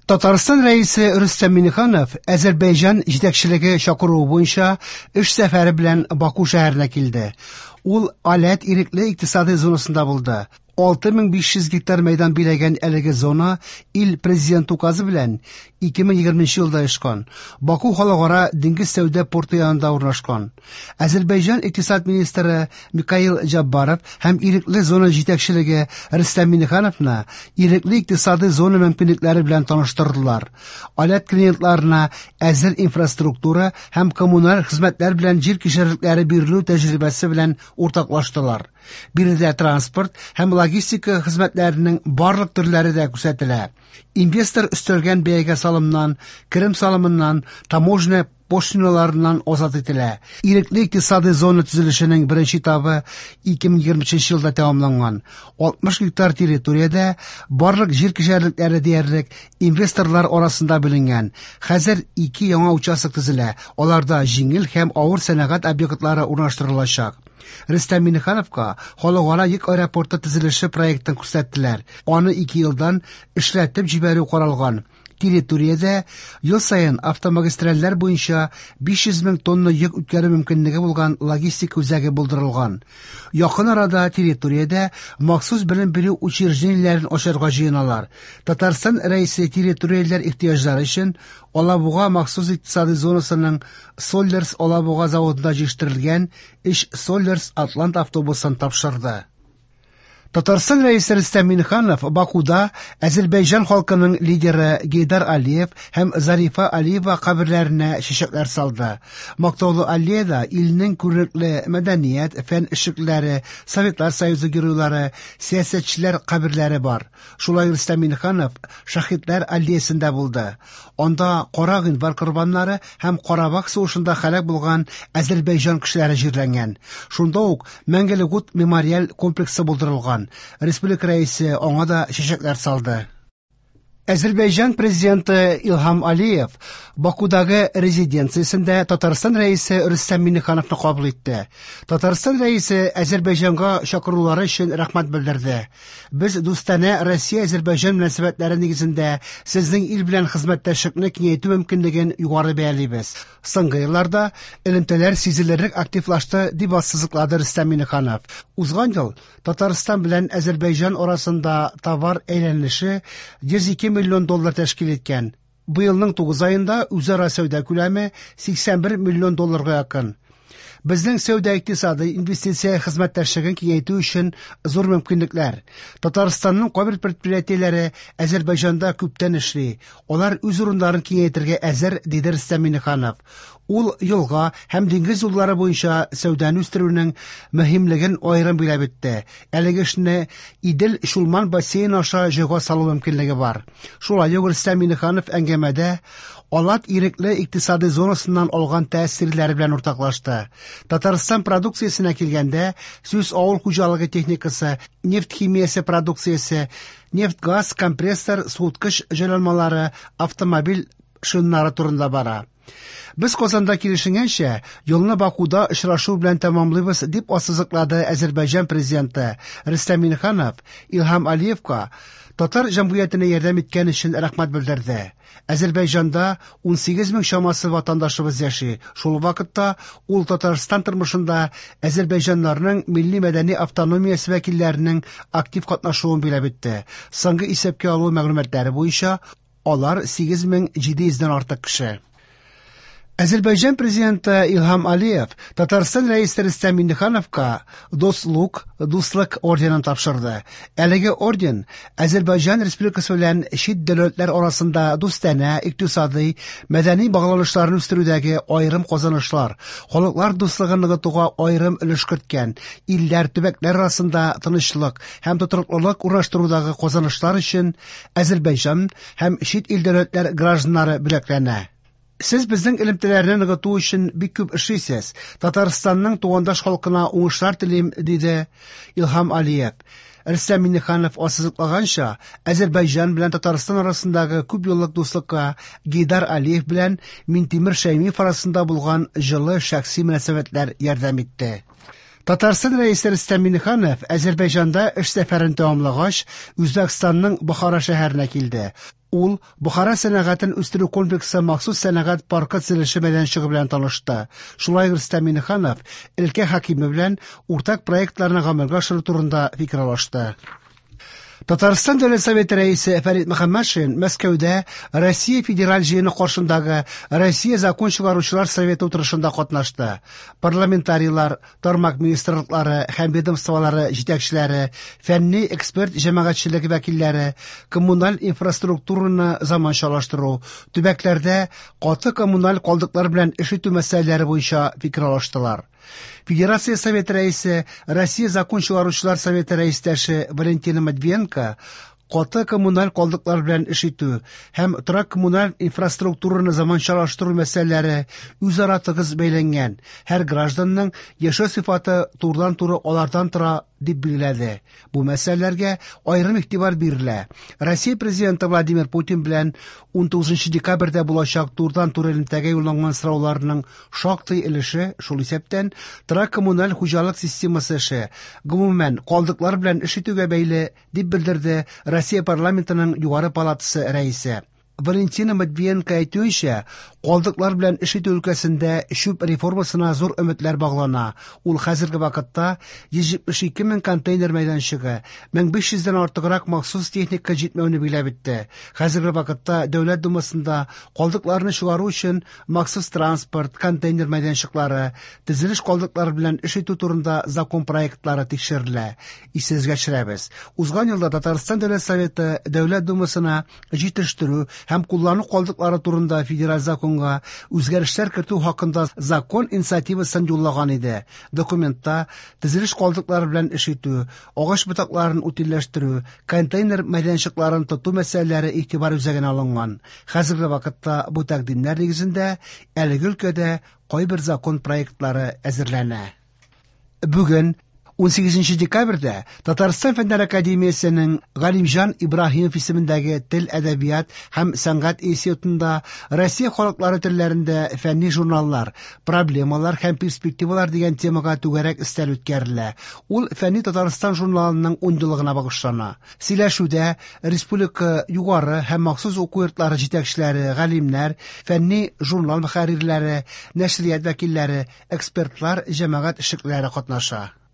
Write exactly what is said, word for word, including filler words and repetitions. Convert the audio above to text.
Татарстан Рәисе Рөстәм Миңнеханов Азәрбайҗан җитәкчелеге чакыруы буенча эш сәфәре белән Баку шәһәренә килде. Ул Аләт ирекле икътисади зонасында булды. алты мең биш йөз гектар мәйдан биләгән әлеге зона ил президенты указы белән ике мең егерменче елда оешкан. Баку халыкара диңгез сәүдә порты янында урнашкан. Азәрбайҗан икътисад министры Микаил Джаббаров һәм ирекле зона җитәкчелеге Рөстәм Миңнехановны ирекле икътисади зона мөмкинлекләре белән таныштырдылар. Аләт клиентларына әзер инфраструктура һәм коммуналь хезмәтләр белән җир кишәрлекләре бирелү тәҗрибәсе белән уртаклаштылар. Биредә транспорт һәм логистика хезмәтләренең барлык төрләре дә күрсәтелә. Инвестор өстәлгән бәягә салымнан, керем салымыннан, таможня пошлиналарыннан азат ителә. Ирекле икътисади зона төзелешенең беренче этабы ике мең егерме өченче елда тәмамланган. алтмыш гектар территориядә барлык җир кишәрлекләре диярлек инвесторлар арасында бүленгән. Хәзер ике яңа участок төзелә. Аларда җиңел һәм авыр сәнәгать объектлары урнаштырылачак. Рөстәм Миңнехановка халыкара йөк аэропорты төзелеше проектын күрсәттеләр. Аны ике елдан эшләтеп җибәрү каралган. Территориядә ел саен автомагистральләр буенча биш йөз мең тонна йөк үткәрү мөмкинлеге булган логистика үзәге булдырылган. Якын арада территориядә махсус белем бирү учреждениеләрен ачарга җыеналар. Татарстан Рәисе территорияләр ихтыяҗлары өчен Алабуга махсус икътисади зонасының Соллерс Алабуга заводында җитештерелгән өч Соллерс Атлант автобусын тапшырды. Татарстан Рәисе Рөстәм Миңнеханов Бакуда Азәрбайҗан халкының лидеры Гейдар Алиев һәм Зарифа Алиева каберләренә чәчәкләр салды. Мактаулы аллеяда илнең күренекле мәдәният, фән эшлеклеләре, Советлар Союзы геройлары, сәясәтчеләр каберләре бар. Шулай Рөстәм Миңнеханов Шаһитләр аллеясында булды. Анда Кара гыйнвар корбаннары һәм Карабах сугышында һәлак булган Азәрбайҗан кешеләре җирләнгән. Шунда ук Мәңгелек ут мемориаль комплексы булдырылган. Республика рәисе аңа да чәчәкләр салды. Азәрбайҗан президенты Илһам Алиев Бакудагы резиденциясендә Татарстан рәисе Рөстәм Миңнехановны кабул итте. Татарстан рәисе Азәрбайҗанга чакырулары өчен рәхмәт белдерде. Без дустанә Россия-Азәрбайҗан мөнәсәбәтләре нигезендә сезнең ил белән хезмәттәшлекне киңәйтү мөмкинлеген югары бәялибез. Соңгы елларда элемтәләр сизелерлек активлашты, дип ассызыклады Рөстәм Миңнеханов. Узган ел Татарстан белән Азәрбайҗан арасында товар әйләнеше йөз ике миллион доллар тәшкил иткән. Быелның тугыз аенда үзара сәүдә күләме сиксән бер миллион долларга якын. Безнең сәүдә икътисады инвестиция хезмәттәшлеген киңәйтү өчен зур мөмкинлекләр. Татарстанның кайбер предприятиеләре Азәрбайҗанда күптән эшли. Алар үз урыннарын киңәйтергә әзер, диде Рөстәм Миңнеханов. Ул елга һәм диңгез юллары буенча сәүдәне үстерүнең мөһимлеген аерым билгеләп үтте. Әлеге эшне Идел-Чулман бассейны аша җайга салу мөмкинлеге бар. Шулай ук Рөстәм Миңнеханов әңгәмәдә Алат ирекле икътисади зонасыннан алган тәэсирләре белән уртаклашты. Татарстан продукциясенә килгәндә, сүз авыл хуҗалыгы техникасы, нефть химиясе продукциясе, нефть-газ, компрессор, суыткыч җайланмалары, автомобиль шиннары турында бара. Без Казанда килешенгәнчә, елны Бакуда очрашу белән тәмамлыйбыз, дип ассызыклады Азәрбайҗан президенты Рөстәм Миңнеханов Илһам Алиевка татар җәмгыятенә ярдәм иткән өчен рәхмәт белдерде. Азәрбайҗанда ун сигез мең чамасы ватандашыбыз яши. Шул вакытта ул Татарстан тормышында азәрбайҗаннарның милли мәдәни автономиясе вәкилләренең актив катнашуын билгеләп үтте. Соңгы исәпкә алу мәгълүматлары буенча алар сигез мең җиде йөздән артык кеше. Азәрбайҗан президенты Илһам Алиев Татарстан рәисе Рөстәм Миңнехановка Дослук, Дуслык орденын тапшырды. Әлеге орден Азәрбайҗан Республикасы белән чит дәүләтләр арасында дустанә, икътисади, мәдәни багланышларны үстерүдәге аерым казанышлар, халыклар дуслыгын ныгытуга аерым өлеш керткән, илләр, төбәкләр арасында тынычлык һәм тотрыклылык урнаштырудагы казанышлар өчен Азәрбайҗан һәм чит ил дәүләтләр гражданнары бүләкләнә. Сез безнең элемтәләрне ныгыту өчен бик күп эшлисез. Татарстанның тугандаш халкына уңышлар телим, диде Илһам Алиев. Рөстәм Миңнеханов ассызыклаганча, Азәрбайҗан белән Татарстан арасындагы күп еллык дуслыкка Гейдар Алиев белән Минтимер Шәймиев арасында булган җылы шәхси мөнәсәбәтләр ярдәм итте. Татарстан рәисе Рөстәм Миңнеханов Азәрбайҗанда эш сәфәрен тәмамлагач, Үзбәкстанның Бохара шәһәренә килде. Ул Бохара сәнәгатен үстерү комплексы махсус сәнәгать паркы төзелеше мәйданчыгы белән танышты. Шулай ук Рөстәм Миңнеханов өлкә хакиме белән уртак проектларны гамәлгә ашыру турында фикер алышты. Татарстан Дәүләт Советы рәисе Фәрит Мөхәммәтшин Мәскәүдә Россия Федераль җыены каршындагы Россия закон чыгаручылар советы утырышында катнашты. Парламентарийлар, тармак министрлыклары һәм ведомстволары җитәкчеләре, фәнни эксперт җәмәгатьчелеге вәкилләре, коммуналь инфраструктураны заманчалаштыру, төбәкләрдә каты коммуналь калдыклар белән эш итү мәсьәләләре буенча фикер алыштылар. Федерация Советы рәисе, Россия закон чыгаручылар советы рәистәше Валентина Матвиенко каты коммуналь калдыклар белән эш итү һәм торак коммуналь инфраструктураны заманчалаштыру мәсьәләләре үзара тыгыз бәйләнгән, һәр гражданның яшәү сыйфаты турыдан-туры алардан тора дип билгеләде. Бу мәсьәләләргә аерым игътибар бирелә. Россия президенты Владимир Путин белән унтугызынчы декабрьдә булачак турыдан-туры элемтәгә юлланган сорауларның шактый өлеше, шул исәптән торак коммуналь хуҗалык системасы эше, гомумән калдыклар белән эш итүгә бәйле, дип белдерде Россия парламентының югары палатасы рәисе. Валентина Матвиенко әйтүенчә, калдыклар белән эш итү өлкәсендә чүп реформасына зур өметләр баглана. Ул хәзерге вакытта йөз җитмеш ике мең контейнер мәйданчыгы, мең биш йөздән артыграк махсус техника җитмәүне билгеләп үтте. Хәзерге вакытта Дәүләт Думасында калдыкларны чыгару өчен махсус транспорт, контейнер мәйданчыклары, төзелеш калдыклары белән эш итү турында закон проектлары тикшерелә. Исегезгә төшерәбез. Узган елда Татарстан Дәүләт Советы Дәүләт Думасына җитештерү һәм куллану калдыклары турында федераль законга үзгәрешләр кертү хакында закон инициативасын юллаган иде. Документта төзелеш калдыклары белән эш итү, агач ботакларын утильләштерү, контейнер мәйданчыкларын тоту мәсьәләләре игътибар үзәгенә алынган. Хәзерге вакытта бу тәкъдимнәр нигезендә әлеге өлкәдә кайбер закон проектлары әзерләнә. Бүген унсигезенче декабрьдә Татарстан Фәннәр Академиясенең Галимҗан Ибраһимов исемендәге Тел, әдәбият һәм сәнгать институтында Россия халыклары телләрендә фәнни журналлар, проблемалар һәм перспективалар дигән темага түгәрәк өстәл үткәрелә. Ул Фәнни Татарстан журналының ун еллыгына багышлана. Сөйләшүдә республика югары һәм махсус уку йортлары җитәкчеләре, галимнәр, фәнни журнал мөхәррирләре, нәшрият вәкилләре, экспертлар, җәмәгать эшлеклеләре катнаша.